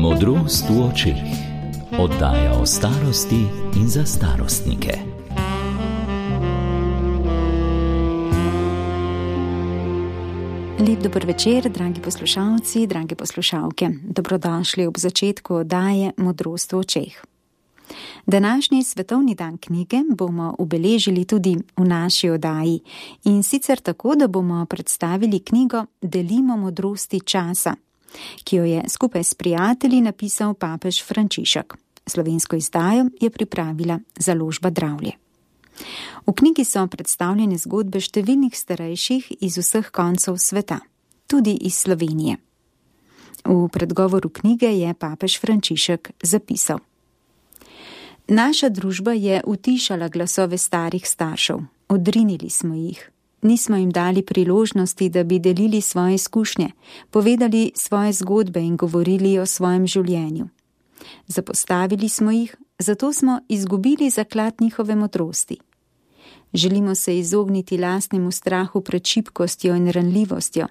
Modrost v očeh. Oddaja o starosti in za starostnike. Lep dober večer, dragi poslušalci, drage poslušalke. Dobrodošli ob začetku oddaje Modrost v očeh. Današnji svetovni dan knjige bomo obeležili tudi v naši oddaji, in sicer tako, da bomo predstavili knjigo Delimo modrosti časa, ki jo je skupaj s prijatelji napisal papež Frančišek. Slovensko izdajo je pripravila založba Dravlje. V knjigi so predstavljene zgodbe številnih starejših iz vseh koncev sveta, tudi iz Slovenije. V predgovoru knjige je papež Frančišek zapisal: Naša družba je utišala glasove starih staršev, odrinili smo jih. Nismo jim dali priložnosti, da bi delili svoje izkušnje, povedali svoje zgodbe in govorili o svojem življenju. Zapostavili smo jih, zato smo izgubili zaklad njihove modrosti. Želimo se izogniti lastnemu strahu pred šibkostjo in ranljivostjo,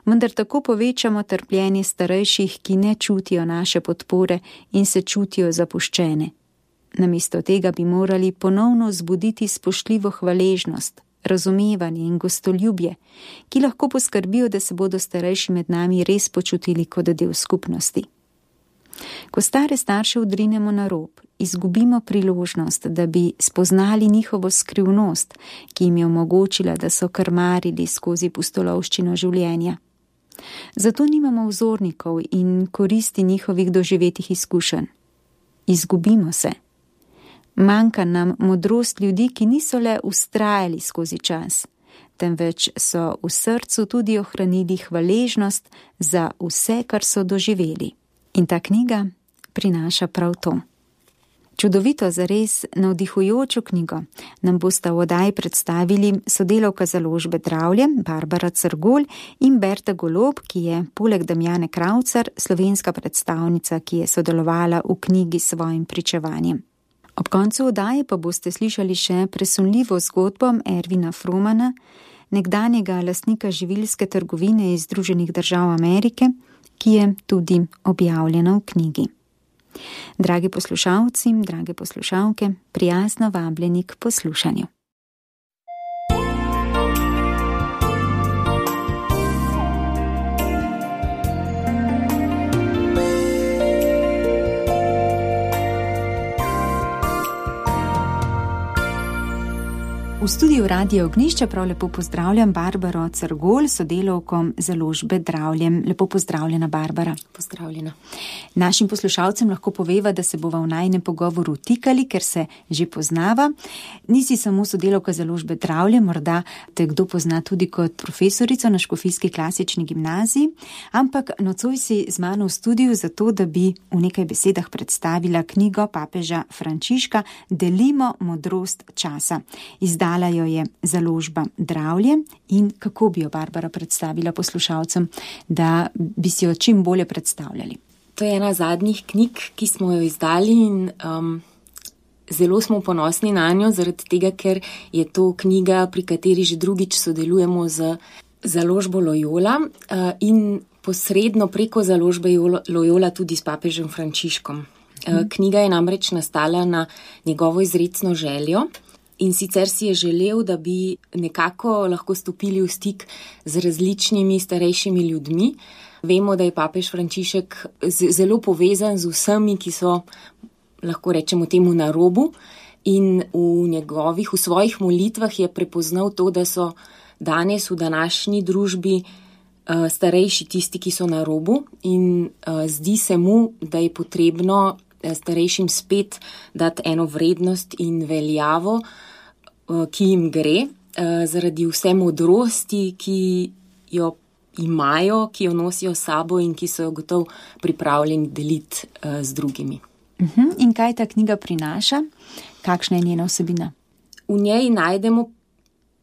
vendar tako povečamo trpljenje starejših, ki ne čutijo naše podpore in se čutijo zapuščene. Namesto tega bi morali ponovno zbuditi spoštljivo hvaležnost, razumevanje in gostoljubje, ki lahko poskrbijo, da se bodo starejši med nami res počutili kot del skupnosti. Ko stare starše odrinemo na rob, izgubimo priložnost, da bi spoznali njihovo skrivnost, ki jim je omogočila, da so krmarili skozi pustolovščino življenja. Zato nimamo vzornikov in koristi njihovih doživetih izkušenj. Izgubimo se. Manjka nam modrost ljudi, ki niso le vztrajali skozi čas, temveč so v srcu tudi ohranili hvaležnost za vse, kar so doživeli. In ta knjiga prinaša prav to. Čudovito, zares navdihujočo knjigo nam bosta v oddaji predstavili sodelavka založbe Dravlje, Barbara Crgulj, in Berta Golob, ki je poleg Damjane Kravcar slovenska predstavnica, ki je sodelovala v knjigi s svojim pričevanjem. Ob koncu oddaje pa boste slišali še presunljivo zgodbo Ervina Fromana, nekdanjega lastnika živilske trgovine iz Združenih držav Amerike, ki je tudi objavljena v knjigi. Dragi poslušalci, drage poslušalke, prijazno vabljeni k poslušanju. V studiu Radia Ognjišče prav lepo pozdravljam Barbaro Crgulj, sodelavko založbe Dravlje. Lepo pozdravljena, Barbara. Pozdravljena. Našim poslušalcem lahko poveva, da se bova v najinem pogovoru tikali, ker se že poznava. Nisi samo sodelavka založbe Dravlje, morda te kdo pozna tudi kot profesorico na Škofijski klasični gimnaziji, ampak nocoj si z mano v studiu zato, da bi v nekaj besedah predstavila knjigo papeža Frančiška Delimo modrost časa. Izdala jo je založba Dravlje. In kako bi jo, Barbara, predstavila poslušalcem, da bi si jo čim bolje predstavljali? To je ena zadnjih knjig, ki smo jo izdali, in zelo smo ponosni na njo, zaradi tega, ker je to knjiga, pri kateri že drugič sodelujemo z založbo Loyola in posredno preko založbe Loyola tudi s papežem Frančiškom. Knjiga je namreč nastala na njegovo izrecno željo. In sicer si je želel, da bi nekako lahko stopili v stik z različnimi starejšimi ljudmi. Vemo, da je papež Frančišek zelo povezan z vsemi, ki so, lahko rečemo temu, na robu, in v svojih molitvah je prepoznal to, da so danes v današnji družbi starejši tisti, ki so na robu, in zdi se mu, da je potrebno starejšim spet dati eno vrednost in veljavo, ki jim gre, zaradi vse modrosti, ki jo imajo, ki jo nosijo s sabo in ki so jo gotovo pripravljeni deliti z drugimi. In kaj ta knjiga prinaša? Kakšna je njena vsebina? V njej najdemo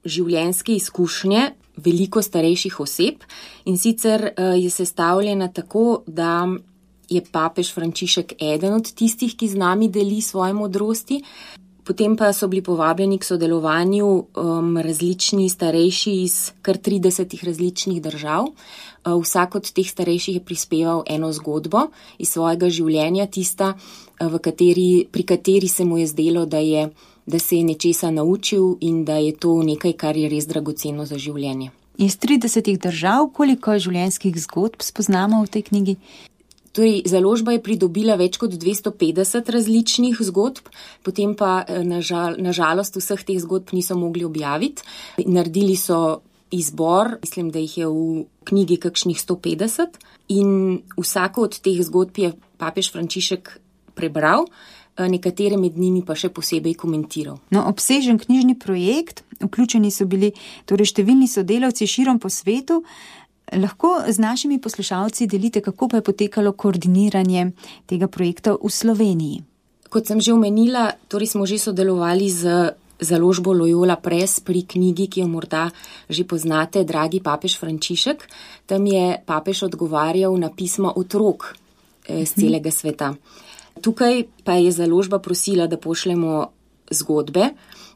življenjske izkušnje veliko starejših oseb, in sicer je sestavljena tako, da je papež Frančišek eden od tistih, ki z nami deli svoje modrosti. Potem pa so bili povabljeni k sodelovanju različni starejši iz kar 30 različnih držav. Vsak od teh starejših je prispeval eno zgodbo iz svojega življenja, tista, pri kateri se mu je zdelo, da se je nečesa naučil in da je to nekaj, kar je res dragoceno za življenje. Iz 30 držav, koliko življenjskih zgodb spoznamo v tej knjigi? Torej, založba je pridobila več kot 250 različnih zgodb, potem pa nažalost vseh teh zgodb niso mogli objaviti. Naredili so izbor, mislim, da jih je v knjigi kakšnih 150 in vsako od teh zgodb je papež Frančišek prebral, nekatere med njimi pa še posebej komentiral. No, obsežen knjižni projekt, vključeni so bili torej številni sodelavci širom po svetu. Lahko z našimi poslušalci delite, kako pa je potekalo koordiniranje tega projekta v Sloveniji? Kot sem že omenila, torej smo že sodelovali z založbo Loyola Press pri knjigi, ki jo morda že poznate, Dragi papež Frančišek. Tam je papež odgovarjal na pisma otrok z celega sveta. Tukaj pa je založba prosila, da pošljemo zgodbe.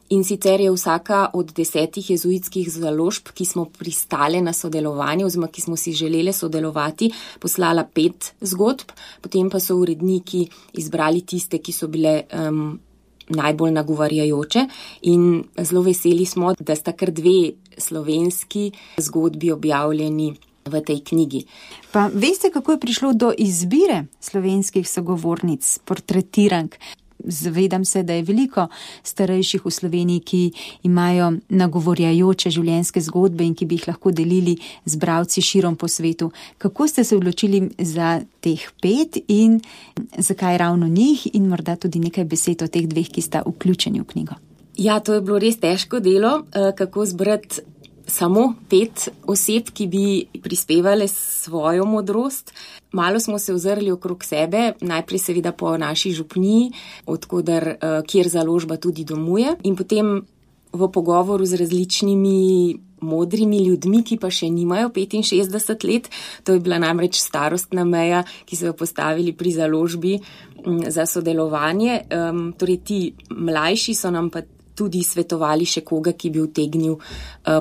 In sicer je vsaka od 10 jezuitskih založb, ki smo pristale na sodelovanje oziroma ki smo si želeli sodelovati, poslala 5 zgodb, potem pa so uredniki izbrali tiste, ki so bile najbolj nagovarjajoče in zelo veseli smo, da sta kar 2 slovenski zgodbi objavljeni v tej knjigi. Pa veste, kako je prišlo do izbire slovenskih sogovornic, portretirank? Zavedam se, da je veliko starejših v Sloveniji, ki imajo nagovorjajoče življenjske zgodbe in ki bi jih lahko delili z bralci širom po svetu. Kako ste se odločili za teh 5 in zakaj ravno njih in morda tudi nekaj besed o teh 2, ki sta vključeni v knjigo? Ja, to je bilo res težko delo, kako zbrati samo 5 oseb, ki bi prispevale svojo modrost. Malo smo se ozrli okrog sebe, najprej seveda po naši župniji, kjer založba tudi domuje, in potem v pogovoru z različnimi modrimi ljudmi, ki pa še nimajo 65 let, to je bila namreč starostna meja, ki so jo postavili pri založbi za sodelovanje. Torej ti mlajši so nam pa tudi svetovali še koga, ki bi utegnil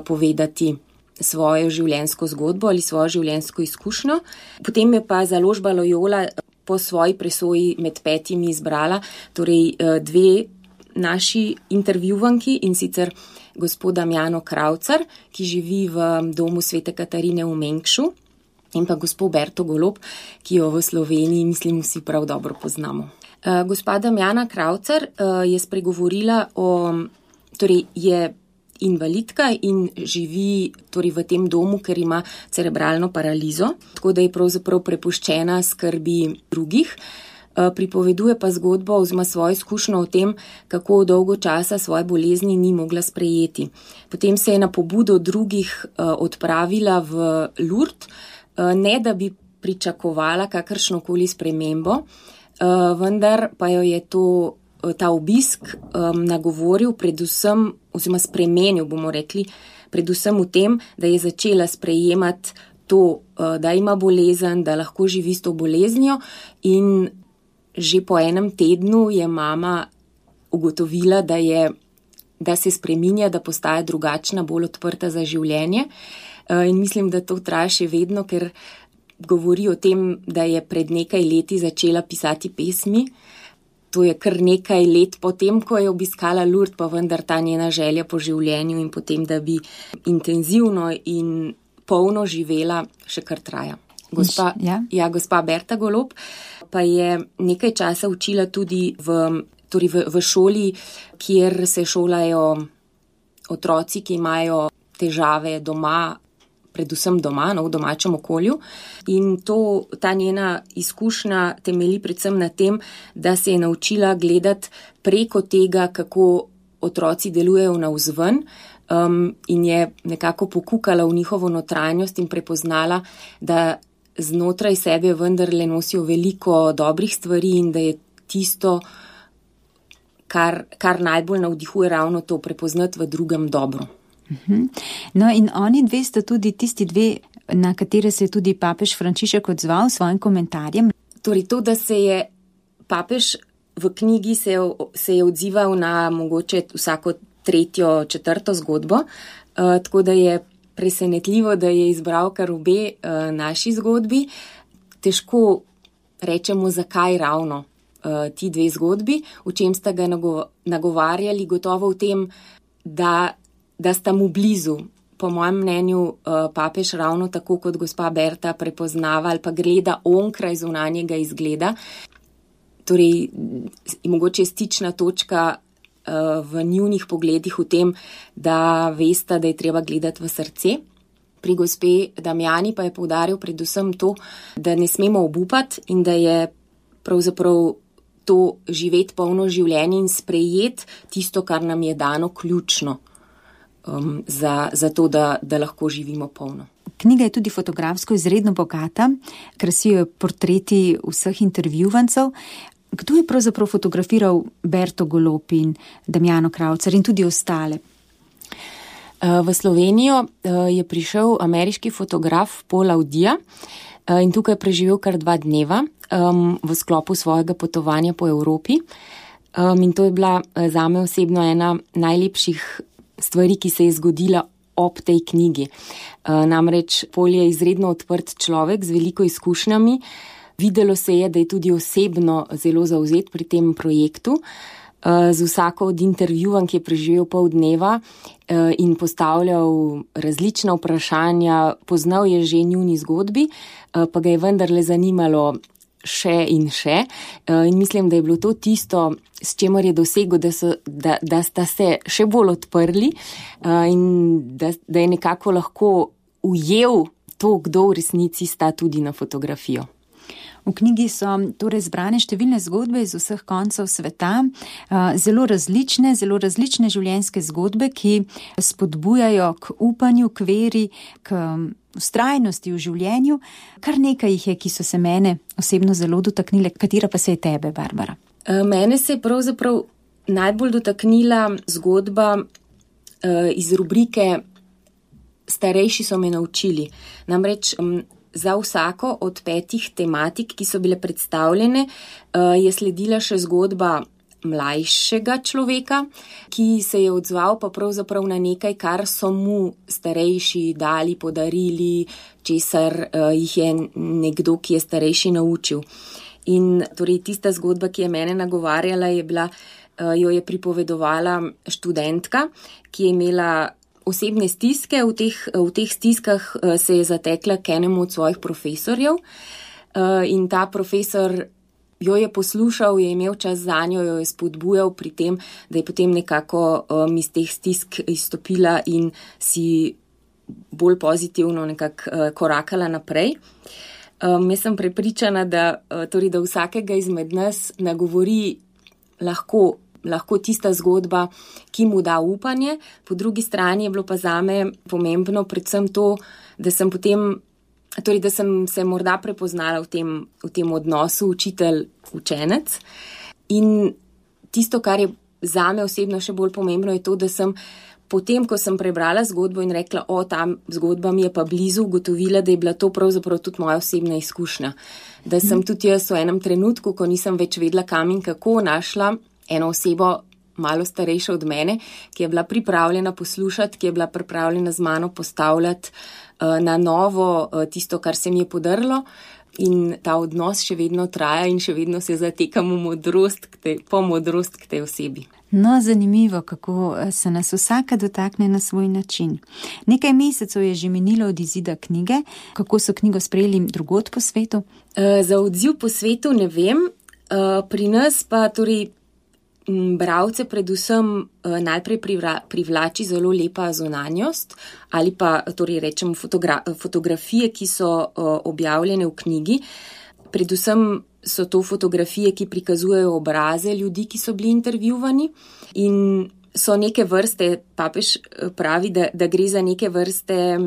povedati svojo življenjsko zgodbo ali svojo življenjsko izkušnjo. Potem je pa založba Loyola po svoji presoji med 5 izbrala torej 2 naši intervjuvanki, in sicer gospod Damjano Kravcar, ki živi v domu Svete Katarine v Mengšu, in pa gospod Berto Golob, ki jo v Sloveniji, mislim, vsi prav dobro poznamo. Gospa Damjana Kravcar je spregovorila torej je invalidka in živi torej v tem domu, ker ima cerebralno paralizo, tako da je pravzaprav prepuščena skrbi drugih. Pripoveduje pa zgodbo oziroma svojo izkušnjo o tem, kako dolgo časa svoje bolezni ni mogla sprejeti. Potem se je na pobudo drugih odpravila v Lourdes, ne da bi pričakovala kakršnokoli spremembo, vendar pa jo je ta obisk nagovoril predvsem, oziroma spremenil, bomo rekli, predvsem v tem, da je začela sprejemati to, da ima bolezen, da lahko živi s to boleznijo, in že po enem tednu je mama ugotovila, da se spreminja, da postaja drugačna, bolj odprta za življenje. In mislim, da to traja še vedno, ker govori o tem, da je pred nekaj leti začela pisati pesmi. To je kar nekaj let potem, ko je obiskala Lourdes, pa vendar ta njena želja po življenju in potem, da bi intenzivno in polno živela, še kar traja. Gospa Berta Golob pa je nekaj časa učila tudi v šoli, kjer se šolajo otroci, ki imajo težave doma, predvsem doma, v domačem okolju. In ta njena izkušnja temelji predvsem na tem, da se je naučila gledati preko tega, kako otroci delujejo navzven, in je nekako pokukala v njihovo notranjost in prepoznala, da znotraj sebe vendarle nosijo veliko dobrih stvari in da je tisto, kar najbolj navdihuje, ravno to, prepoznati v drugem dobro. No, in oni 2 sta tudi tisti 2, na katere se je tudi papež Frančišek odzval s svojim komentarjem. Torej to, da se je papež v knjigi se je odzival na mogoče vsako 3., 4. zgodbo, tako da je presenetljivo, da je izbral kar obe naši zgodbi. Težko rečemo, zakaj ravno ti 2 zgodbi, v čem sta ga nagovarjali, gotovo v tem, da sta mu blizu. Po mojem mnenju papež ravno tako kot gospa Berta prepoznava ali pa gleda onkraj zunanjega izgleda. Torej, mogoče stična točka v njunih pogledih v tem, da vesta, da je treba gledati v srce. Pri gospe Damjani pa je poudaril predvsem to, da ne smemo obupati in da je pravzaprav to živeti polno življenje in sprejeti tisto, kar nam je dano, ključno za to, da lahko živimo polno. Knjiga je tudi fotografsko izredno bogata, krasijo portreti vseh intervjuvancev. Kdo je pravzaprav fotografiral Berto Golob in Damjano Kraucar in tudi ostale? V Slovenijo je prišel ameriški fotograf Paul Audija in tukaj je preživel kar 2 dneva v sklopu svojega potovanja po Evropi. In to je bila zame osebno ena najlepših stvari, ki se je zgodila ob tej knjigi. Namreč Paul je izredno odprt človek z veliko izkušnjami. Videlo se je, da je tudi osebno zelo zavzet pri tem projektu. Z vsako od intervjuvank je preživel pol dneva in postavljal različna vprašanja. Poznal je že njuni zgodbi, pa ga je vendarle zanimalo še in še. In mislim, da je bilo to tisto, s čemer je dosegel, da sta se še bolj odprli in da je nekako lahko ujel to, kdo v resnici sta tudi na fotografijo. V knjigi so torej zbrane številne zgodbe iz vseh koncev sveta, zelo različne življenjske zgodbe, ki spodbujajo k upanju, k veri, k vztrajnosti v življenju. Kar nekaj jih je, ki so se mene osebno zelo dotaknile. Katera pa se je tebe, Barbara? Mene se je pravzaprav najbolj dotaknila zgodba iz rubrike Starejši so me naučili. Namreč za vsako od 5 tematik, ki so bile predstavljene, je sledila še zgodba mlajšega človeka, ki se je odzval pa pravzaprav na nekaj, kar so mu starejši dali, podarili, česar jih je nekdo, ki je starejši, naučil. In torej tista zgodba, ki je mene nagovarjala, jo je pripovedovala študentka, ki je imela osebne stiske. V teh stiskah se je zatekla k enemu od svojih profesorjev in ta profesor jo je poslušal, je imel čas zanjo, jo je spodbujal pri tem, da je potem nekako iz teh stisk izstopila in si bolj pozitivno nekako korakala naprej. Jaz sem prepričana, da vsakega izmed nas nagovori lahko tista zgodba, ki mu da upanje. Po drugi strani je bilo pa zame pomembno predvsem to, da sem se morda prepoznala v tem odnosu učitelj-učenec. In tisto, kar je zame osebno še bolj pomembno, je to, da sem potem, ko sem prebrala zgodbo in rekla, ta zgodba mi je pa blizu, ugotovila, da je bila to pravzaprav tudi moja osebna izkušnja. Da sem tudi jaz v enem trenutku, ko nisem več vedela kam in kako, našla eno osebo malo starejšo od mene, ki je bila pripravljena poslušati, ki je bila pripravljena z mano postavljati na novo tisto, kar se mi je podrlo. In ta odnos še vedno traja in še vedno se zatekam po modrost k tej osebi. No, zanimivo, kako se nas vsaka dotakne na svoj način. Nekaj mesecev je že minilo od izida knjige. Kako so knjigo sprejeli drugod po svetu? Za odziv po svetu ne vem. Pri nas pa bralce predvsem najprej privlači zelo lepa zunanjost ali pa rečemo fotografije, ki so objavljene v knjigi. Predvsem so to fotografije, ki prikazujejo obraze ljudi, ki so bili intervjuvani in so neke vrste, papež pravi, da gre za neke vrste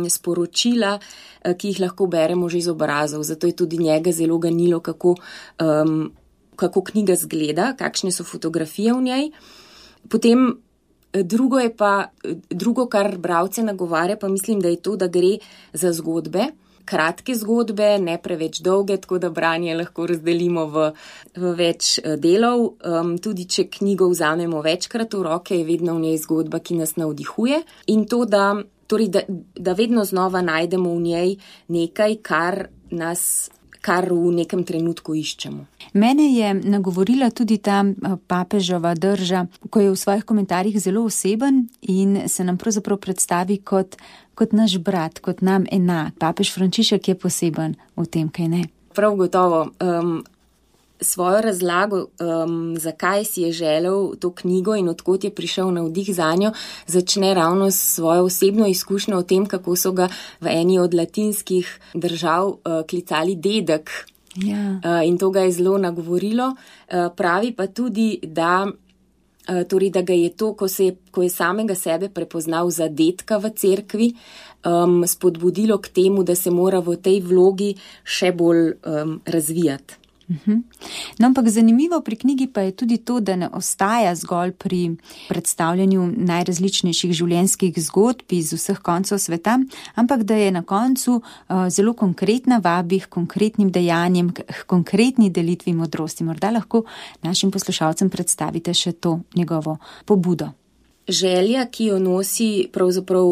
sporočila, ki jih lahko beremo že iz obrazov. Zato je tudi njega zelo ganilo, kako knjiga zgleda, kakšne so fotografije v njej. Potem drugo, kar bralce nagovarja, pa mislim, da je to, da gre za zgodbe, kratke zgodbe, ne preveč dolge, tako da branje lahko razdelimo v več delov. Tudi če knjigo vzamemo večkrat v roke, je vedno v njej zgodba, ki nas navdihuje. In to, da vedno znova najdemo v njej nekaj, kar v nekem trenutku iščemo. Mene je nagovorila tudi ta papežova drža, ko je v svojih komentarjih zelo oseben in se nam pravzaprav predstavi kot naš brat, kot nam enak. Papež Frančišek je poseben v tem, kaj ne? Prav gotovo. Svojo razlago, zakaj si je želel to knjigo in odkot je prišel navdih zanjo, začne ravno s svojo osebno izkušnjo o tem, kako so ga v eni od latinskih držav klicali dedek. Ja. In to ga je zelo nagovorilo. Pravi pa tudi, da ga je to, ko je samega sebe prepoznal za dedka v cerkvi, spodbudilo k temu, da se mora v tej vlogi še bolj razvijati. No, ampak zanimivo pri knjigi pa je tudi to, da ne ostaja zgolj pri predstavljanju najrazličnejših življenjskih zgodb iz vseh koncev sveta, ampak da je na koncu zelo konkretna, vabi k konkretnim dejanjem, k konkretni delitvi modrosti. Morda lahko našim poslušalcem predstavite še to njegovo pobudo. Želja, ki jo nosi pravzaprav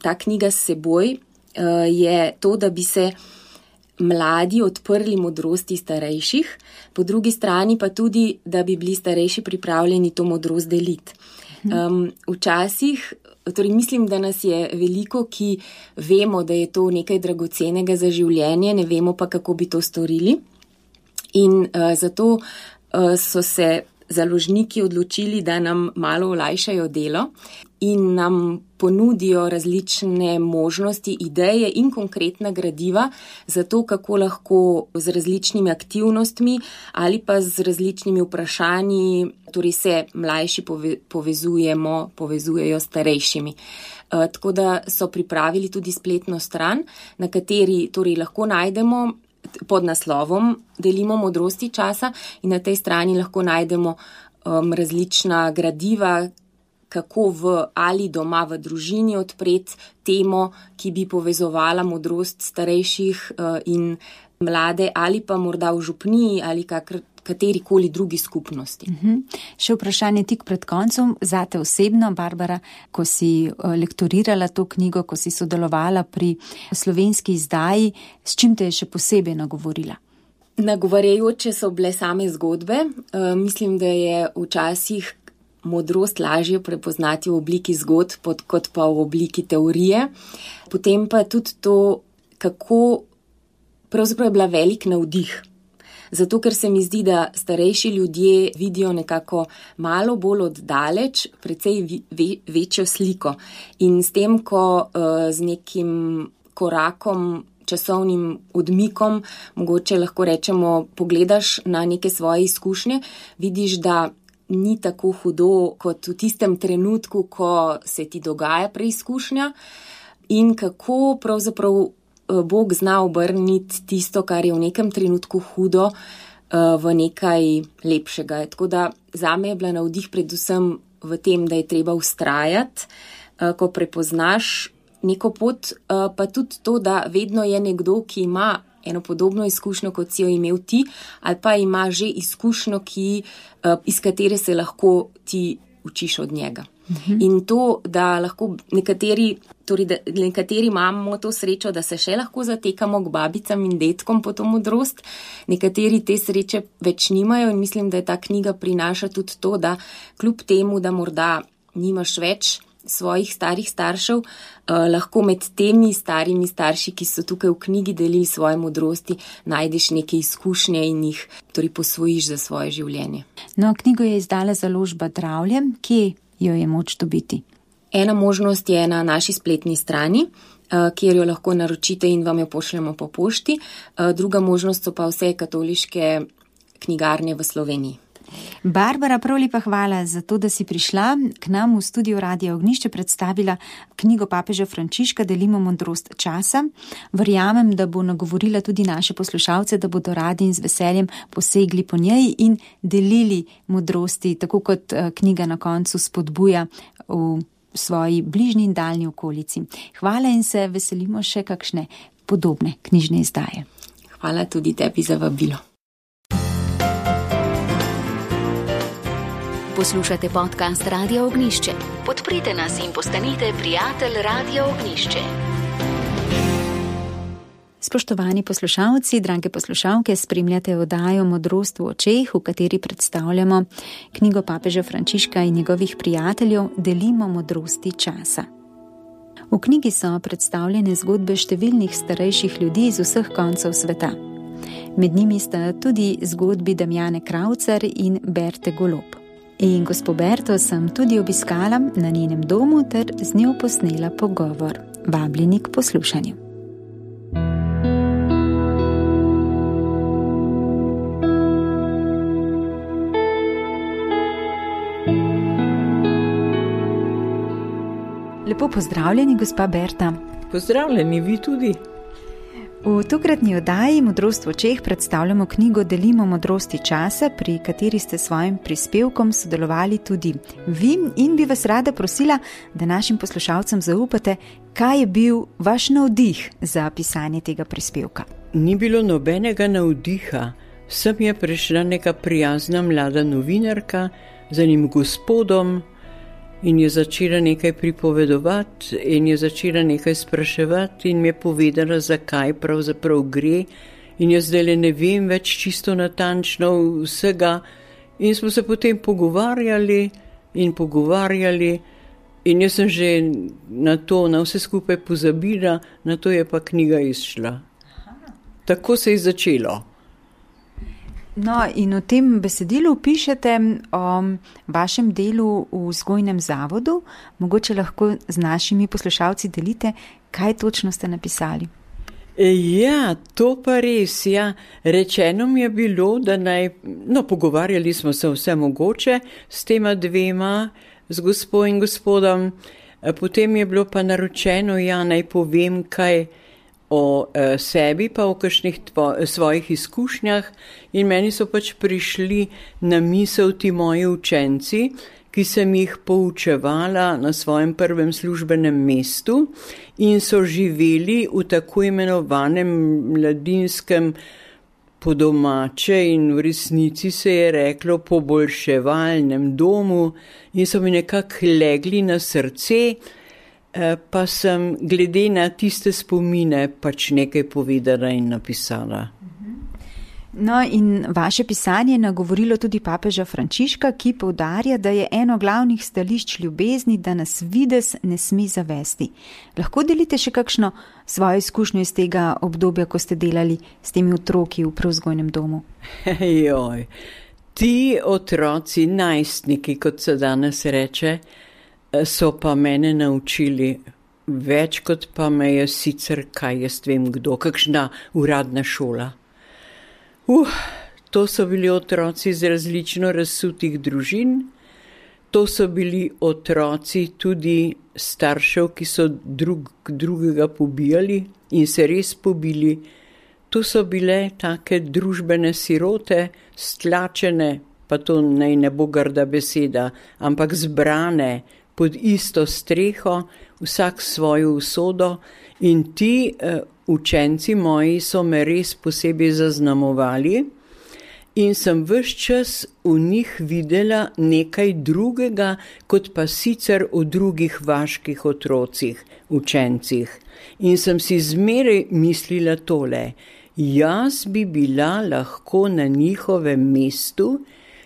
ta knjiga s seboj, je to, da bi se mladi odprli modrosti starejših, po drugi strani pa tudi, da bi bili starejši pripravljeni to modrost deliti. Včasih, torej mislim, da nas je veliko, ki vemo, da je to nekaj dragocenega za življenje, ne vemo pa, kako bi to storili. In zato so se založniki odločili, da nam malo olajšajo delo in nam ponudijo različne možnosti, ideje in konkretna gradiva za to, kako lahko z različnimi aktivnostmi ali pa z različnimi vprašanji, torej se mlajši povezujejo s starejšimi. Tako da so pripravili tudi spletno stran, na kateri torej lahko najdemo pod naslovom Delimo modrosti časa in na tej strani lahko najdemo različna gradiva, kako ali doma v družini odpreti temo, ki bi povezovala modrost starejših in mlade, ali pa morda v župniji ali katerikoli drugi skupnosti. Še vprašanje tik pred koncem, zate osebno, Barbara, ko si lektorirala to knjigo, ko si sodelovala pri slovenski izdaji, s čim te je še posebej nagovorila? Nagovarjajoče so bile same zgodbe. Mislim, da je včasih modrost lažje prepoznati v obliki zgodb, kot pa v obliki teorije. Potem pa tudi to, kako pravzaprav je bila velik navdih. Zato, ker se mi zdi, da starejši ljudje vidijo nekako malo bolj oddaleč, precej večjo sliko. In s tem, ko z nekim korakom, časovnim odmikom, mogoče lahko rečemo, pogledaš na neke svoje izkušnje, vidiš, da ni tako hudo kot v tistem trenutku, ko se ti dogaja preizkušnja in kako pravzaprav Bog zna obrniti tisto, kar je v nekem trenutku hudo, v nekaj lepšega. Tako da zame je bila navdih predvsem v tem, da je treba vztrajati, ko prepoznaš neko pot, pa tudi to, da vedno je nekdo, ki ima eno podobno izkušnjo, kot si jo imel ti, ali pa ima že izkušnjo, iz katere se lahko ti učiš od njega. In to, da lahko nekateri imamo to srečo, da se še lahko zatekamo k babicam in detkom po to modrost, nekateri te sreče več nimajo in mislim, da je ta knjiga prinaša tudi to, da kljub temu, da morda nimaš več svojih starih staršev, lahko med temi starimi starši, ki so tukaj v knjigi delili svoje modrosti, najdeš neke izkušnje in jih torej posvojiš za svoje življenje. No, knjigo je izdala založba Dravlje, kje jo je moč dobiti? Ena možnost je na naši spletni strani, kjer jo lahko naročite in vam jo pošljemo po pošti. Druga možnost so pa vse katoliške knjigarne v Sloveniji. Barbara, prav lepa hvala za to, da si prišla k nam v studio Radia Ognjišče, predstavila knjigo papeža Frančiška Delimo modrost časa. Verjamem, da bo nagovorila tudi naše poslušalce, da bodo radi in z veseljem posegli po njej in delili modrosti, tako kot knjiga na koncu spodbuja v svoji bližnji in daljni okolici. Hvala in se veselimo še kakšne podobne knjižne izdaje. Hvala tudi tebi za vabilo. Poslušate podcast Radia Ognjišče. Podprite nas in postanite prijatelj Radia Ognjišče. Spoštovani poslušalci, drage poslušalke, spremljate oddajo Modrost v očeh, v kateri predstavljamo knjigo papeža Frančiška in njegovih prijateljev Delimo modrosti časa. V knjigi so predstavljene zgodbe številnih starejših ljudi iz vseh koncev sveta. Med njimi sta tudi zgodbi Damjane Kraucar in Berte Golob. In gospo Berto sem tudi obiskala na njenem domu ter z njo posnela pogovor. Vabljeni k poslušanju. Lepo pozdravljeni, gospa Berta. Pozdravljeni, vi tudi. V tokratni oddaji Modrost v očeh predstavljamo knjigo Delimo modrosti časa, pri kateri ste svojim prispevkom sodelovali tudi vi, in bi vas rada prosila, da našim poslušalcem zaupate, kaj je bil vaš navdih za pisanje tega prispevka. Ni bilo nobenega navdiha. Sem je prišla neka prijazna mlada novinarka z enim gospodom in je začela nekaj pripovedovati in je začela nekaj spraševati in mi je povedala, zakaj pravzaprav gre, in jaz zdaj ne vem več čisto natančno vsega, in smo se potem pogovarjali in jaz sem že na vse skupaj pozabila, na to je pa knjiga izšla. Tako se je začelo. No, in v tem besedilu pišete o vašem delu v vzgojnem zavodu. Mogoče lahko z našimi poslušalci delite, kaj točno ste napisali. Ja, to pa res, ja. Rečeno mi je bilo, da pogovarjali smo se vse mogoče s tema dvema, z gospo in gospodom. Potem je bilo pa naročeno, naj povem kaj o sebi, pa o kakšnih svojih izkušnjah, in meni so pač prišli na misel ti moji učenci, ki sem jih poučevala na svojem prvem službenem mestu in so živeli v tako imenovanem mladinskem, po domače in v resnici se je reklo poboljševalnem domu, in so mi nekako legli na srce, pa sem glede na tiste spomine pač nekaj povedala in napisala. No, in vaše pisanje je nagovorilo tudi papeža Frančiška, ki poudarja, da je eno glavnih stališč ljubezni, da nas videz ne sme zavesti. Lahko delite še kakšno svojo izkušnjo iz tega obdobja, ko ste delali s temi otroki v prevzgojnem domu? Joj, ti otroci, najstniki, kot se danes reče, so pa mene naučili več, kot pa me je sicer, kaj jaz vem kdo, kakšna uradna šola. To so bili otroci iz različno razsutih družin, to so bili otroci tudi staršev, ki so drugega pobijali in se res pobili. To so bile take družbene sirote, stlačene, pa to naj ne bo grda beseda, ampak zbrane pod isto streho, vsak svojo usodo, in ti učenci moji so me res posebej zaznamovali in sem ves čas v njih videla nekaj drugega, kot pa sicer v drugih vaških otrocih, učencih. In sem si zmeraj mislila tole, jaz bi bila lahko na njihovem mestu,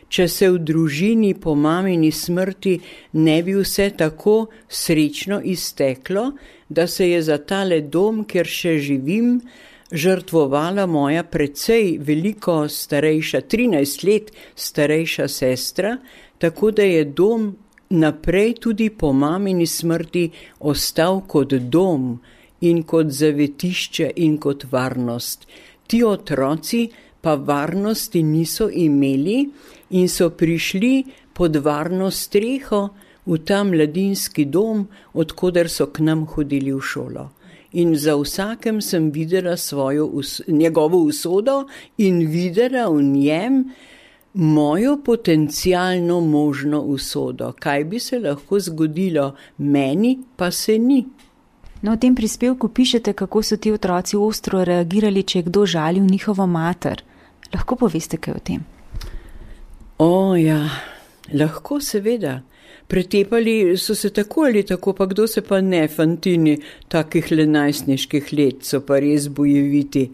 če se v družini po mamini smrti ne bi vse tako srečno izteklo, da se je za tale dom, kjer še živim, žrtvovala moja precej veliko starejša, 13 let starejša sestra, tako da je dom naprej tudi po mamini smrti ostal kot dom in kot zavetišče in kot varnost. Ti otroci pa varnosti niso imeli in so prišli pod varno streho v ta mladinski dom, odkoder so k nam hodili v šolo. In za vsakem sem videla njegovo usodo in videla v njem mojo potencialno možno usodo. Kaj bi se lahko zgodilo, meni pa se ni. No, v tem prispevku pišete, kako so ti otroci ostro reagirali, če je kdo žalil njihovo mater. Lahko poveste kaj o tem? O ja, lahko seveda. Pretepali so se tako ali tako, pa kdo se pa ne, fantini takih le najstniških let, so pa res bojeviti.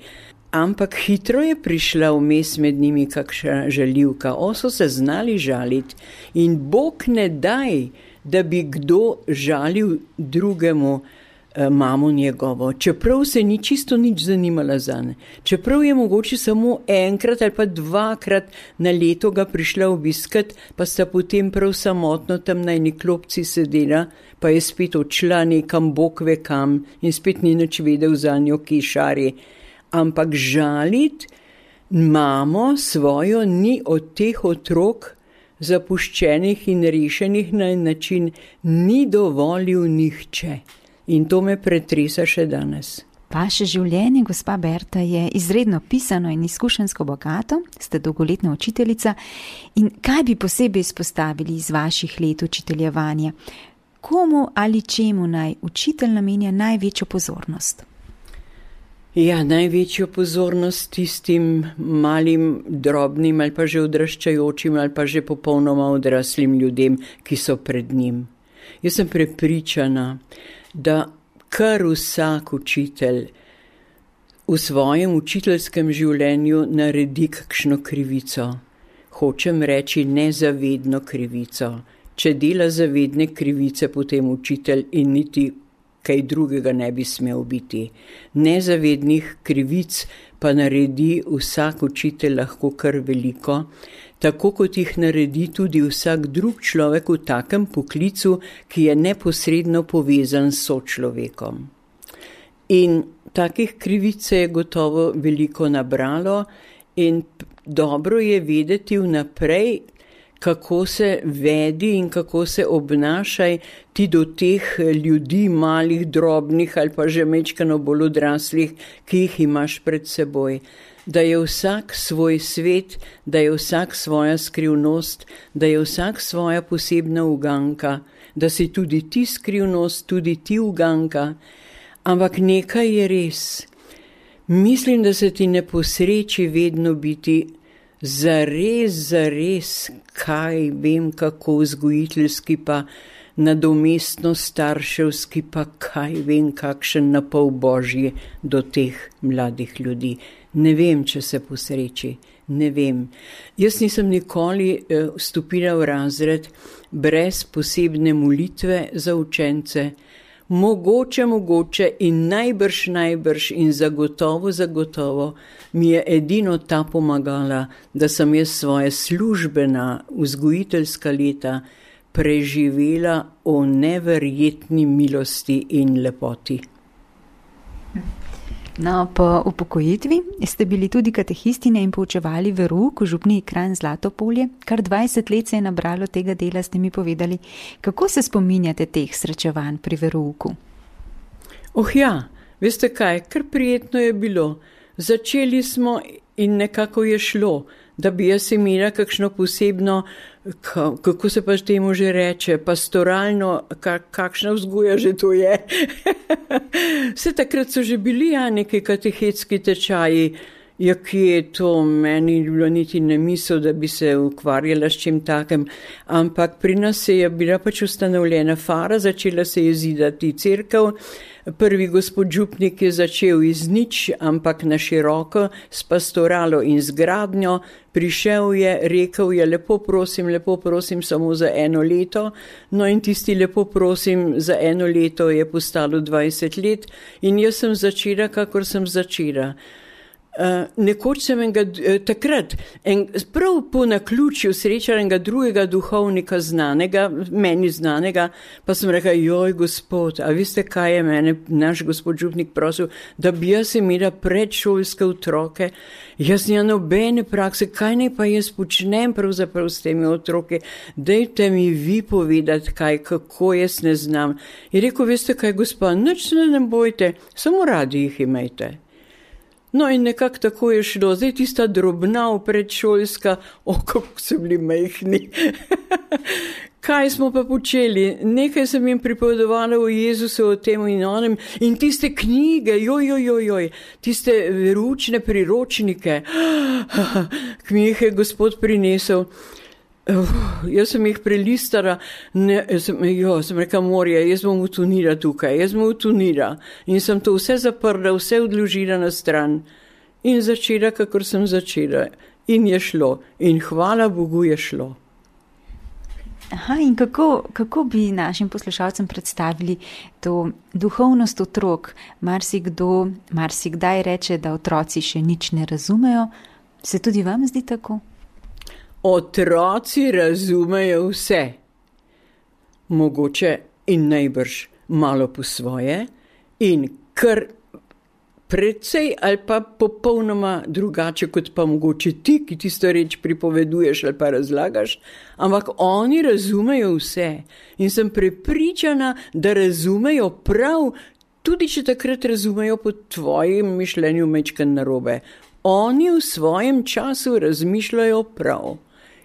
Ampak hitro je prišla vmes med njimi kakšna žaljivka. So se znali žaliti in Bog ne daj, da bi kdo žalil drugemu mamo njegovo, čeprav se ni čisto nič zanimala zane. Čeprav je mogoče samo enkrat ali pa dvakrat na leto ga prišla obiskat, pa sta potem prav samotno tam na eni klopci sedela, pa je spet odšla nekam Bog ve kam in spet ni nič vedel za njo, ki šari. Ampak žalit mamo svojo ni od teh otrok zapuščenih in rešenih na en način ni dovolil nihče. In to me pretresa še danes. Vaše življenje, gospa Berta, je izredno pisano in izkušenjsko bogato, ste dolgoletna učiteljica. In kaj bi posebej izpostavili iz vaših let učiteljevanja? Komu ali čemu naj učitelj namenja največjo pozornost? Ja, največjo pozornost tistim malim, drobnim ali pa že odraščajočim ali pa že popolnoma odraslim ljudem, ki so pred njim. Jaz sem prepričana, da kar vsak učitelj v svojem učiteljskem življenju naredi kakšno krivico. Hočem reči nezavedno krivico. Če dela zavedne krivice, potem učitelj in niti kaj drugega ne bi smel biti. Nezavednih krivic pa naredi vsak učitelj lahko kar veliko, tako kot jih naredi tudi vsak drug človek v takem poklicu, ki je neposredno povezan s sočlovekom. In takih krivic se je gotovo veliko nabralo in dobro je vedeti vnaprej, kako se vedi in kako se obnašaj ti do teh ljudi, malih, drobnih ali pa že mečkano bolj odraslih, ki jih imaš pred seboj. Da je vsak svoj svet, da je vsak svoja skrivnost, da je vsak svoja posebna uganka, da si tudi ti skrivnost, tudi ti uganka. Ampak nekaj je res. Mislim, da se ti ne posreči vedno biti zares, kaj vem, kako vzgojiteljski pa nadomestno starševski pa kaj vem, kakšen napol božji do teh mladih ljudi. Ne vem, če se posreči, ne vem. Jaz nisem nikoli vstopila v razred brez posebne molitve za učence. Mogoče in najbrž in zagotovo mi je edino ta pomagala, da sem jaz svoje službena vzgojiteljska leta preživela o neverjetni milosti in lepoti. No, po upokojitvi ste bili tudi katehistine in poučevali verouk v župniji Kranj Zlatopolje. Kar 20 let se je nabralo tega dela, ste mi povedali. Kako se spominjate teh srečevanj pri verouku? Ja, veste kaj, kar prijetno je bilo. Začeli smo in nekako je šlo, da bi jaz imela kakšno posebno, kako se pa temu že reče, pastoralno, kakšna vzgoja že to je. Vse takrat so že bili neki katehetski tečaji, ki je to meni bilo niti ne misel, da bi se ukvarjala s čim takem, ampak pri nas se je bila pač ustanovljena fara, začela se je zidati cerkev. Prvi gospod župnik je začel iz nič, ampak na široko, s pastoralo in z gradnjo. Prišel je, rekel je, lepo prosim, samo za 1 leto. No in tisti lepo prosim za 1 leto je postalo 20 let in jaz sem začela, kakor sem začela. Nekoč sem takrat, prav po naključju srečala enega drugega duhovnika meni znanega, pa sem rekla, joj gospod, a veste kaj je mene naš gospod župnik prosil, da bi jaz imela predšolske otroke, jaz nimam nobene prakse, kaj naj pa jaz počnem pravzaprav s temi otroki, dajte mi vi povedati kako jaz ne znam. Je rekel, veste kaj gospa, nič se ne bojte, samo radi jih imejte. No in nekako tako je šlo. Zdaj tista drobna predšolska, kako so bili majhni. Kaj smo pa počeli? Nekaj sem jim pripovedovala o Jezusu, o tem in onem in tiste knjige, tiste veručne priročnike, ki mi jih je Gospod prinesel. Jaz sem jih prelistala, sem rekla, morje, jaz bom utonila tukaj, in sem to vse zaprla, vse odložila na stran in začela, kakor sem začela in je šlo in hvala Bogu je šlo. Aha, in kako bi našim poslušalcem predstavili to duhovnost otrok? Marsikdaj reče, da otroci še nič ne razumejo. Se tudi vam zdi tako? Otroci razumejo vse. Mogoče in najbrž malo po svoje in kar precej ali pa popolnoma drugače kot pa mogoče ti, ki tisto reč pripoveduješ ali pa razlagaš, ampak oni razumejo vse in sem prepričana, da razumejo prav, tudi če takrat razumejo po tvojem mišljenju majčkeno narobe. Oni v svojem času razmišljajo prav.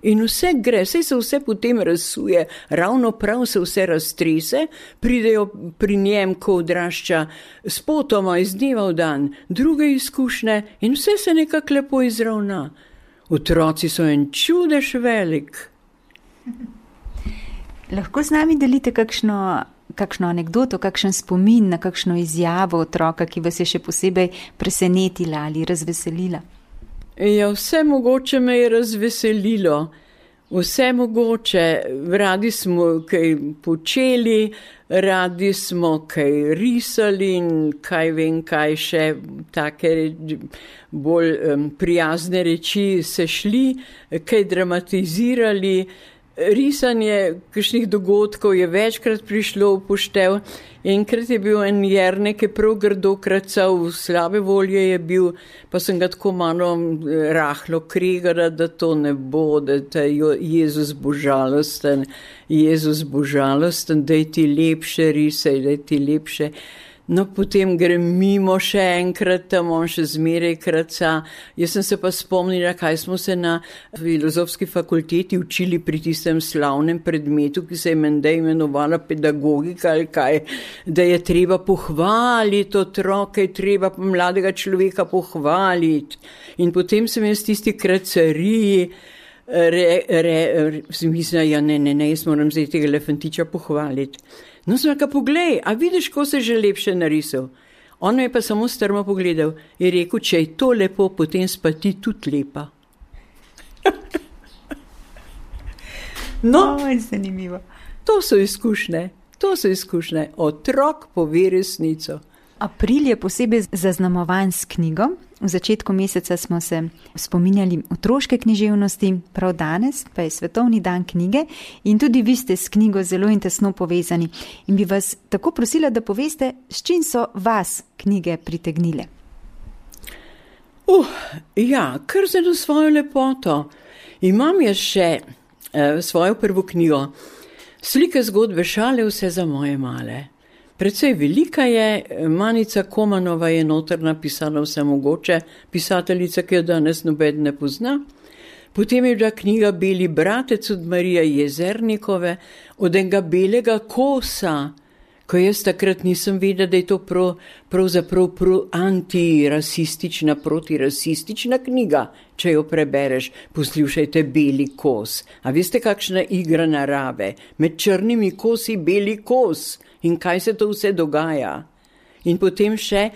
In vse gre, saj se vse potem razsuje, ravno prav se vse raztrese, pridejo pri njem, ko odrašča, spotoma iz dneva v dan, druge izkušnje in vse se nekako lepo izravna. Otroci so en čudež velik. Lahko z nami delite kakšno anekdoto, kakšen spomin na kakšno izjavo otroka, ki vas je še posebej presenetila ali razveselila? Ja, vse mogoče me je razveselilo, vse mogoče, radi smo kaj počeli, radi smo kaj risali in kaj vem, kaj še take bolj prijazne reči se šli, kaj dramatizirali. Risanje kakšnih dogodkov je večkrat prišlo v poštev. Enkrat je bil en Jernej, ki je prav grdo kracal, slabe volje je bil, pa sem ga tako malo rahlo kregala, da to ne bo, da je Jezus bo žalosten, daj ti lepše risaj, daj ti lepše. No, potem grem mimo še enkrat, tam on še zmeraj kraca. Jaz sem se pa spomnila, kaj smo se na filozofski fakulteti učili pri tistem slavnem predmetu, ki se je menda imenovala pedagogika ali kaj, da je treba pohvaliti otroke, treba mladega človeka pohvaliti. In potem sem jaz tisti kracariji mislila, ja ne, jaz moram zdaj tega elefantiča pohvaliti. No, sem rekel, poglej, a vidiš, ko se že lepše narisal? On me je pa samo strmo pogledal in rekel, če je to lepo, potem pa ti tudi lepa. No, zanimivo. To so izkušnje. Otrok pove resnico. April je posebej zaznamovan s knjigo. V začetku meseca smo se spominjali otroške književnosti, prav danes pa je Svetovni dan knjige in tudi vi ste s knjigo zelo in tesno povezani. In bi vas tako prosila, da poveste, s čim so vas knjige pritegnile. Ja, kar zelo svojo lepoto. Imam jaz še svojo prvo knjigo, Slike, zgodbe, šale, vse za moje male. Precej velika je, Manica Komanova je noter napisala vse mogoče, pisateljica, ki jo danes noben ne pozna. Potem je bila knjiga Beli bratec od Marije Jezernikove, od enega belega kosa, ko jaz takrat nisem vedela, da je to pravzaprav antirasistična, protirasistična knjiga, če jo prebereš. Poslušajte, Beli kos. A veste, kakšna igra narave? Med črnimi kosi beli kos. In kaj se to vse dogaja? In potem še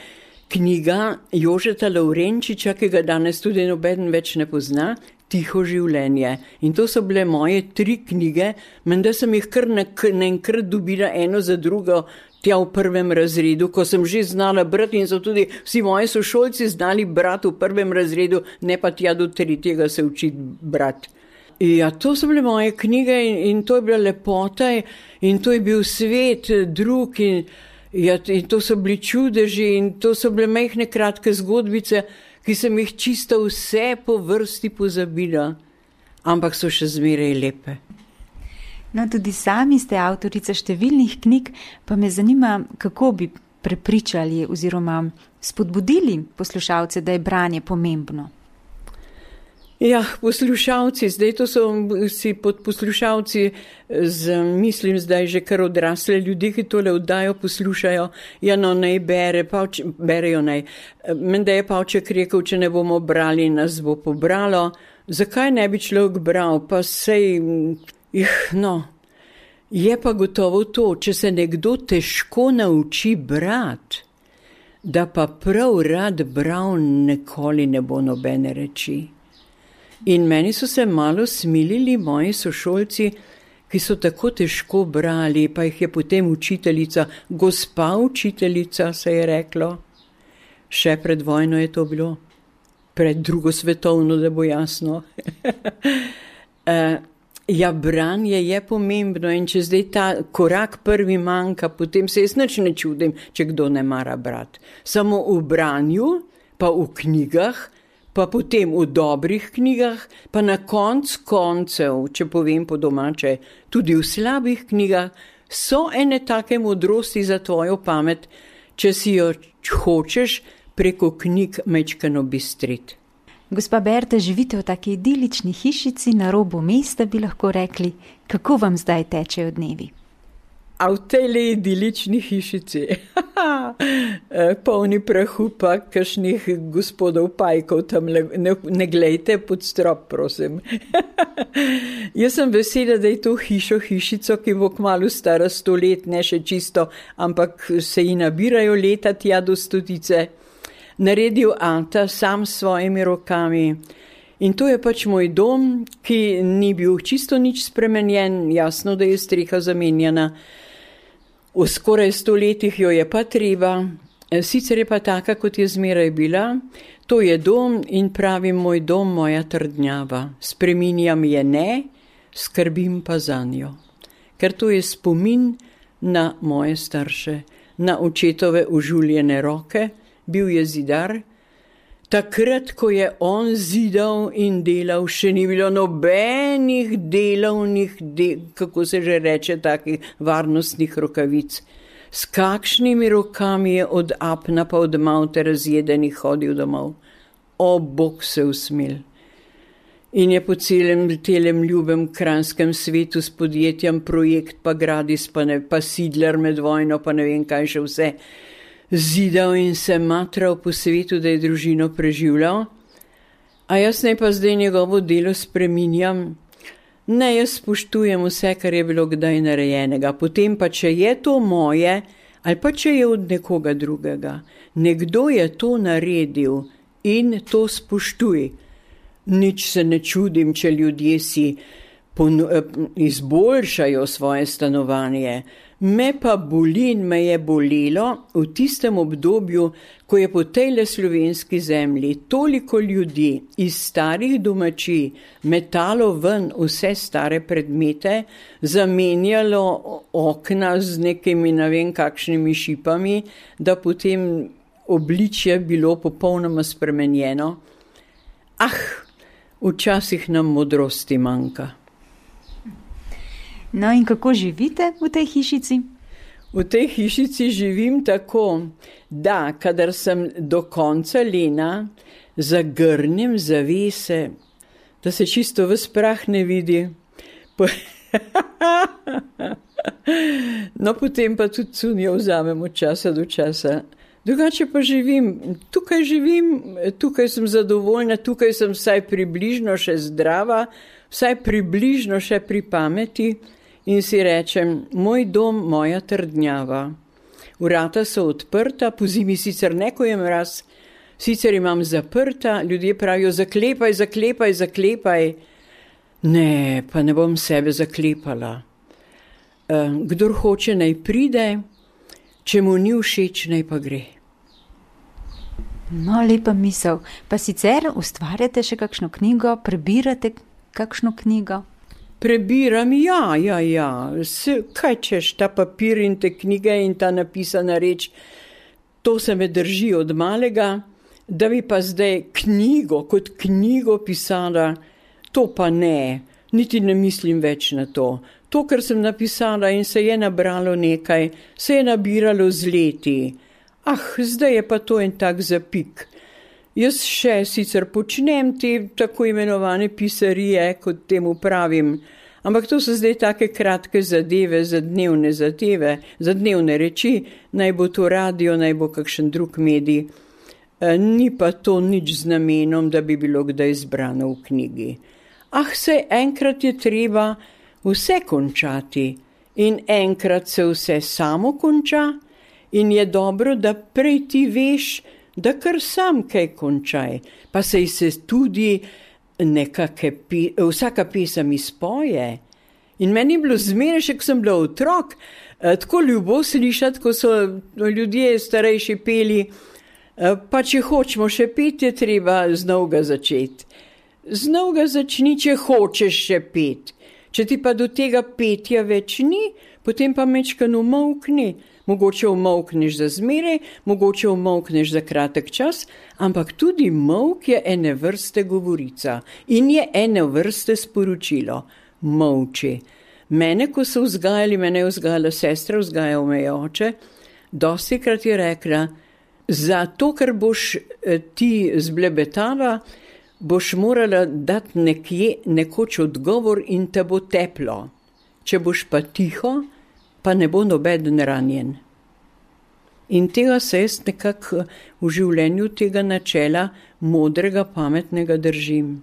knjiga Jožeta Lovrenčiča, ki ga danes tudi noben več ne pozna, Tiho življenje. In to so bile moje 3 knjige, menda sem jih kar naenkrat dobila eno za drugo tja v 1. razredu, ko sem že znala brati in so tudi vsi moji sošolci znali brati v 1. razredu, ne pa tja do 3. se učiti brati. Ja, to so bile moje knjige in to je bila lepota in to je bil svet drug in to so bili čudeži in to so bile majhne kratke zgodbice, ki sem jih čisto vse po vrsti pozabila, ampak so še zmeraj lepe. No, tudi sami ste avtorica številnih knjig, pa me zanima, kako bi prepričali oziroma spodbudili poslušalce, da je branje pomembno? Ja, poslušalci, zdaj to so si pod poslušalci, mislim zdaj že kar odrasle ljudi, ki tole oddajo poslušajo, ja no, naj berejo naj. Menda je Pavček rekel, če ne bomo brali, nas bo pobralo. Zakaj ne bi človek bral, pa sej, je pa gotovo to, če se nekdo težko nauči brati, da pa prav rad bral, nikoli ne bo nobene reči. In meni so se malo smilili moji sošolci, ki so tako težko brali, pa jih je potem učiteljica, gospa učiteljica, se je reklo. Še pred vojno je to bilo, pred drugo svetovno, da bo jasno. Ja, branje je pomembno in če zdaj ta korak prvi manjka, potem se jaz nič ne čudim, če kdo ne mara brati. Samo v branju, pa v knjigah, pa potem v dobrih knjigah, pa na koncev, če povem po domače, tudi v slabih knjigah, so ene take modrosti za tvojo pamet, če si jo hočeš preko knjig majčkeno bistriti. Gospa Berta, živite v taki idilični hišici na robu mesta, bi lahko rekli, kako vam zdaj tečejo dnevi? A v tej idilični hišici, polni prahu pa kakšnih gospodov pajkov, tam ne glejte pod strop, prosim. Jaz sem vesela, da je to hišico, ki bo kmalu stara 100 let, ne še čisto, ampak se ji nabirajo leta tja do 100. Naredil ata sam s svojimi rokami. In to je pač moj dom, ki ni bil čisto nič spremenjen, jasno, da je streha zamenjana. V skoraj 100 letih jo je pa treba, sicer je pa taka, kot je zmeraj bila. To je dom in pravim moj dom, moja trdnjava. Spreminjam je ne, skrbim pa zanjo. Ker to je spomin na moje starše, na očetove užuljene roke, bil je zidar. Takrat, ko je on zidal in delal, še ni bilo nobenih delovnih, kako se že reče, takih varnostnih rokavic. S kakšnimi rokami je od apna pa od maute razjedenih hodil domov. O, Bog se usmil. In je po celem ljubem kranjskem svetu s podjetjem Projekt pa Gradis, pa Sidler med vojno, pa ne vem kaj še vse, zidal in se matral po svetu, da je družino preživljal. A jaz ne pa zdaj njegovo delo spreminjam. Ne, jaz spoštujem vse, kar je bilo kdaj narejenega. Potem pa, če je to moje, ali pa če je od nekoga drugega. Nekdo je to naredil in to spoštuj. Nič se ne čudim, če ljudje si izboljšajo svoje stanovanje. Me pa boli in me je bolelo v tistem obdobju, ko je po tejle slovenski zemlji toliko ljudi iz starih domačij metalo ven vse stare predmete, zamenjalo okna z nekimi ne vem kakšnimi šipami, da potem obličje bilo popolnoma spremenjeno. Včasih nam modrosti manjka. No in kako živite v tej hišici? V tej hišici živim tako, da kadar sem do konca lena, zagrnem zavese, da se čisto ves prah ne vidi. No, potem pa tudi cunjo vzamem od časa do časa. Drugače pa tukaj sem zadovoljna, tukaj sem vsaj približno še zdrava, vsaj približno še pri pameti. In si rečem, moj dom, moja trdnjava. Vrata so odprta, po zimi sicer ne, ko je mraz, sicer imam zaprta, ljudje pravijo, zaklepaj. Ne, pa ne bom sebe zaklepala. Kdor hoče, naj pride, če mu ni všeč, naj pa gre. No, lepa misel. Pa sicer ustvarjate še kakšno knjigo, prebirate kakšno knjigo? Prebiram, ja. Kaj češ, ta papir in te knjige in ta napisana reč, to se me drži od malega, da bi pa zdaj kot knjigo pisala, to pa ne, niti ne mislim več na to. To, kar sem napisala in se je nabralo nekaj, se je nabiralo z leti. zdaj je pa to en tak zapik. Jaz še sicer počnem te tako imenovane pisarije, kot temu pravim, ampak to so zdaj take kratke zadeve, za dnevne reči, naj bo to radio, naj bo kakšen drug medij. Ni pa to nič z namenom, da bi bilo kdaj zbrano v knjigi. Saj enkrat je treba vse končati in enkrat se vse samo konča in je dobro, da prej ti veš, da kar sam kaj končaj, pa se tudi vsaka pesem izpoje. In meni je bilo zmeraj, še ko sem bila otrok, tako ljubo slišati, ko so ljudje starejši peli, pa če hočemo še peti, je treba znova začeti. Znova začni, če hočeš še peti. Če ti pa do tega petja več ni, potem pa mečkan umolkni. Mogoče umolkneš za zmeraj, mogoče umolkneš za kratek čas, ampak tudi molk je ene vrste govorica in je ene vrste sporočilo. Molči. Mene, ko so vzgajali, mene je vzgajala sestra, vzgajal me je oče, dostikrat je rekla, za to, kar boš ti zblebetala, boš morala dati nekoč odgovor in te bo teplo. Če boš pa tiho, pa ne bo nobeden ranjen. In tega se jaz nekako v življenju tega načela modrega, pametnega držim.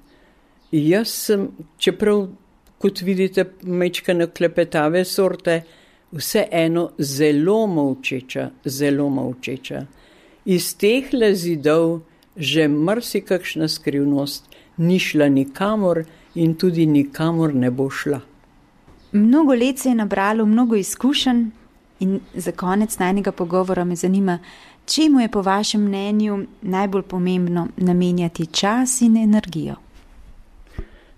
Jaz sem, čeprav, kot vidite, mečkane klepetave sorte, vseeno zelo molčeča. Iz teh zidov že marsikakšna skrivnost ni šla nikamor in tudi nikamor ne bo šla. Mnogo let se je nabralo, mnogo izkušenj in za konec najnega pogovora me zanima, čemu je po vašem mnenju najbolj pomembno namenjati čas in energijo?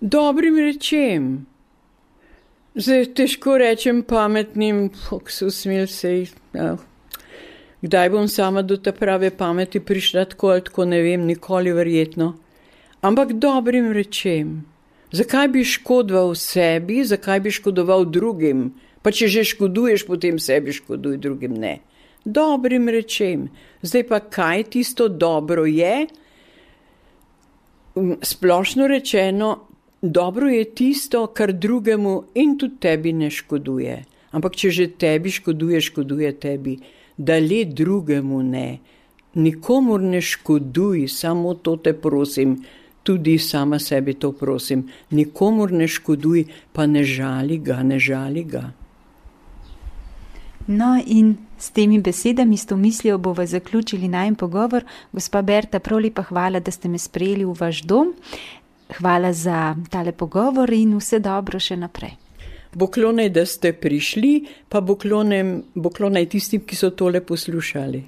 Dobrim rečem. Zdaj težko rečem pametnim, kdaj bom sama do te prave pameti prišla tako ali tako, ne vem, nikoli verjetno. Ampak dobrim rečem. Zakaj bi škodoval sebi, zakaj bi škodoval drugim? Pa če že škoduješ, potem sebi škoduj, drugim ne. Dobrim rečem. Zdaj pa kaj tisto dobro je? Splošno rečeno, dobro je tisto, kar drugemu in tudi tebi ne škoduje. Ampak če že tebi škoduje tebi. Da le drugemu ne. Nikomur ne škoduj, samo to te prosim. Tudi sama sebi to prosim. Nikomur ne škoduj, pa ne žali ga. No in s temi besedami, s to mislijo bova zaključili najin pogovor. Gospa Berta, prav lepa hvala, da ste me sprejeli v vaš dom. Hvala za tale pogovor in vse dobro še naprej. Boklonaj, da ste prišli, pa boklonaj tistim, ki so tole poslušali.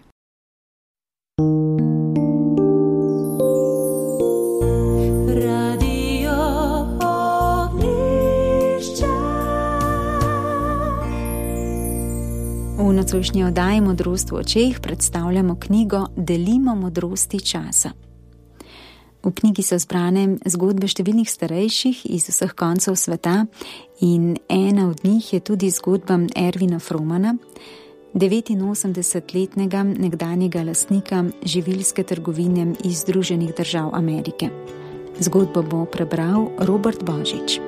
V nocojšnji oddaji Modrost v očeh predstavljamo knjigo Delimo modrosti časa. V knjigi so zbrane zgodbe številnih starejših iz vseh koncev sveta in ena od njih je tudi zgodba Ervina Fromana, 89-letnega nekdanjega lastnika živilske trgovine iz Združenih držav Amerike. Zgodbo bo prebral Robert Božič.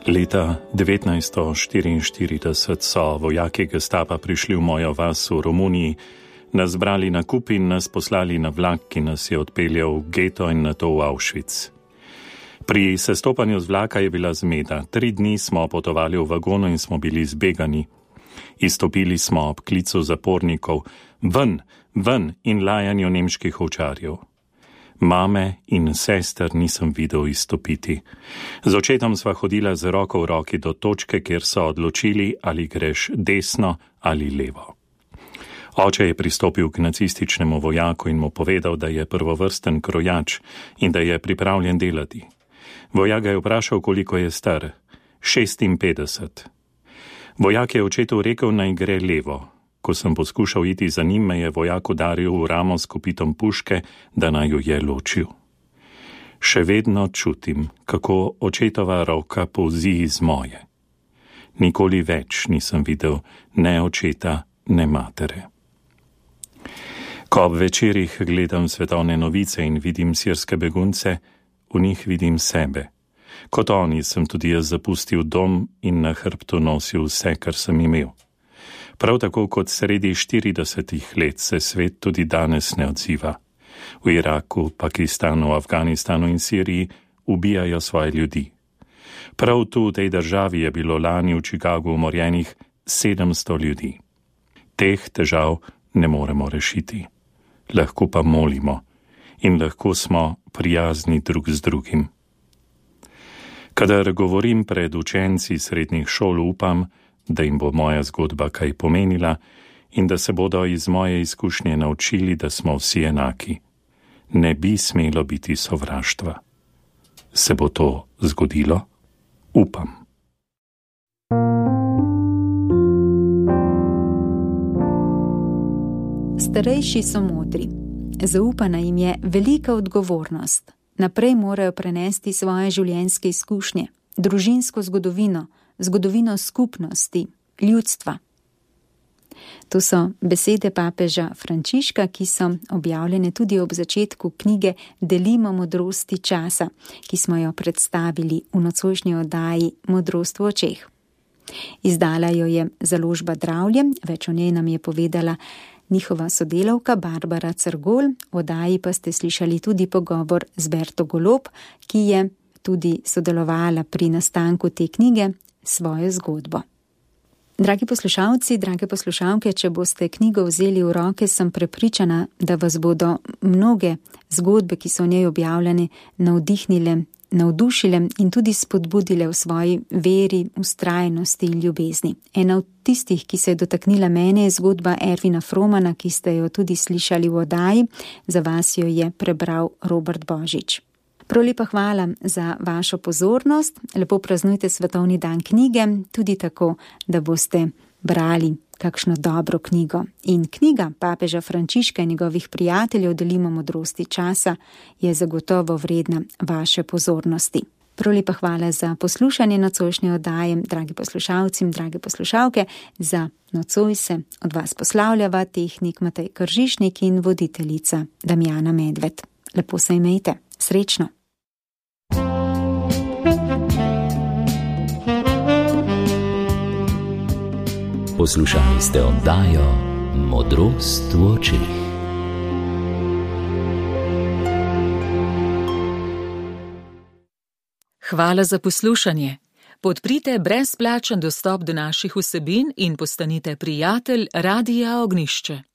Leta 1944 so vojaki Gestapa prišli v mojo vas v Romuniji, nas zbrali na kup in nas poslali na vlak, ki nas je odpeljal v geto in nato v Auschwitz. Pri sestopanju z vlaka je bila zmeda. 3 dni smo potovali v vagonu in smo bili zbegani. Izstopili smo ob klicu zapornikov, ven in lajanju nemških ovčarjev. Mame in sester nisem videl izstopiti. Z očetom sva hodila z roko v roki do točke, kjer so odločili, ali greš desno ali levo. Oče je pristopil k nacističnemu vojaku in mu povedal, da je prvovrsten krojač in da je pripravljen delati. Vojak ga je vprašal, koliko je star. 56. Vojak je očetu rekel, naj gre levo. Ko sem poskušal iti za njim, me je vojak udaril v ramo s kopitom puške, da naj jo je ločil. Še vedno čutim, kako očetova roka polzi iz moje. Nikoli več nisem videl ne očeta, ne matere. Ko ob večerih gledam svetovne novice in vidim sirske begunce, v njih vidim sebe. Kot oni sem tudi jaz zapustil dom in na hrbtu nosil vse, kar sem imel. Prav tako kot sredi 40 let se svet tudi danes ne odziva. V Iraku, Pakistanu, Afganistanu in Siriji ubijajo svoje ljudi. Prav tu v tej državi je bilo lani v Chicagu umorjenih 700 ljudi. Teh težav ne moremo rešiti. Lahko pa molimo in lahko smo prijazni drug z drugim. Kadar govorim pred učenci srednjih šol, upam, da jim bo moja zgodba kaj pomenila in da se bodo iz moje izkušnje naučili, da smo vsi enaki. Ne bi smelo biti sovraštva. Se bo to zgodilo? Upam. Starejši so modri. Zaupana jim je velika odgovornost. Naprej morajo prenesti svoje življenjske izkušnje, družinsko zgodovino, zgodovino skupnosti, ljudstva. To so besede papeža Frančiška, ki so objavljene tudi ob začetku knjige Delimo modrosti časa, ki smo jo predstavili v nocojšnji oddaji Modrost v očeh. Izdala jo je založba Dravlje, več o njej nam je povedala njihova sodelavka Barbara Crgol, v oddaji pa ste slišali tudi pogovor z Berto Golob, ki je tudi sodelovala pri nastanku te knjige svojo zgodbo. Dragi poslušalci, drage poslušalke, če boste knjigo vzeli v roke, sem prepričana, da vas bodo mnoge zgodbe, ki so v njej objavljene, navdušile in tudi spodbudile v svoji veri, vztrajnosti in ljubezni. Ena od tistih, ki se je dotaknila mene, je zgodba Ervina Fromana, ki ste jo tudi slišali v oddaji. Za vas jo je prebral Robert Božič. Prav lepa hvala za vašo pozornost. Lepo praznujte svetovni dan knjige, tudi tako, da boste brali kakšno dobro knjigo. In knjiga papeža Frančiška in njegovih prijateljev Delimo modrosti časa je zagotovo vredna vaše pozornosti. Prav lepa hvala za poslušanje nocojšnje oddaje, dragi poslušalci in drage poslušalke. Za nocoj se od vas poslavljava tehnik Matej Kržišnik in voditeljica Damjana Medved. Lepo se imejte. Srečno. Poslušali ste oddajo Modrost v očeh. Hvala za poslušanje. Podprite brezplačen dostop do naših vsebin in postanite prijatelj Radia Ognjišče.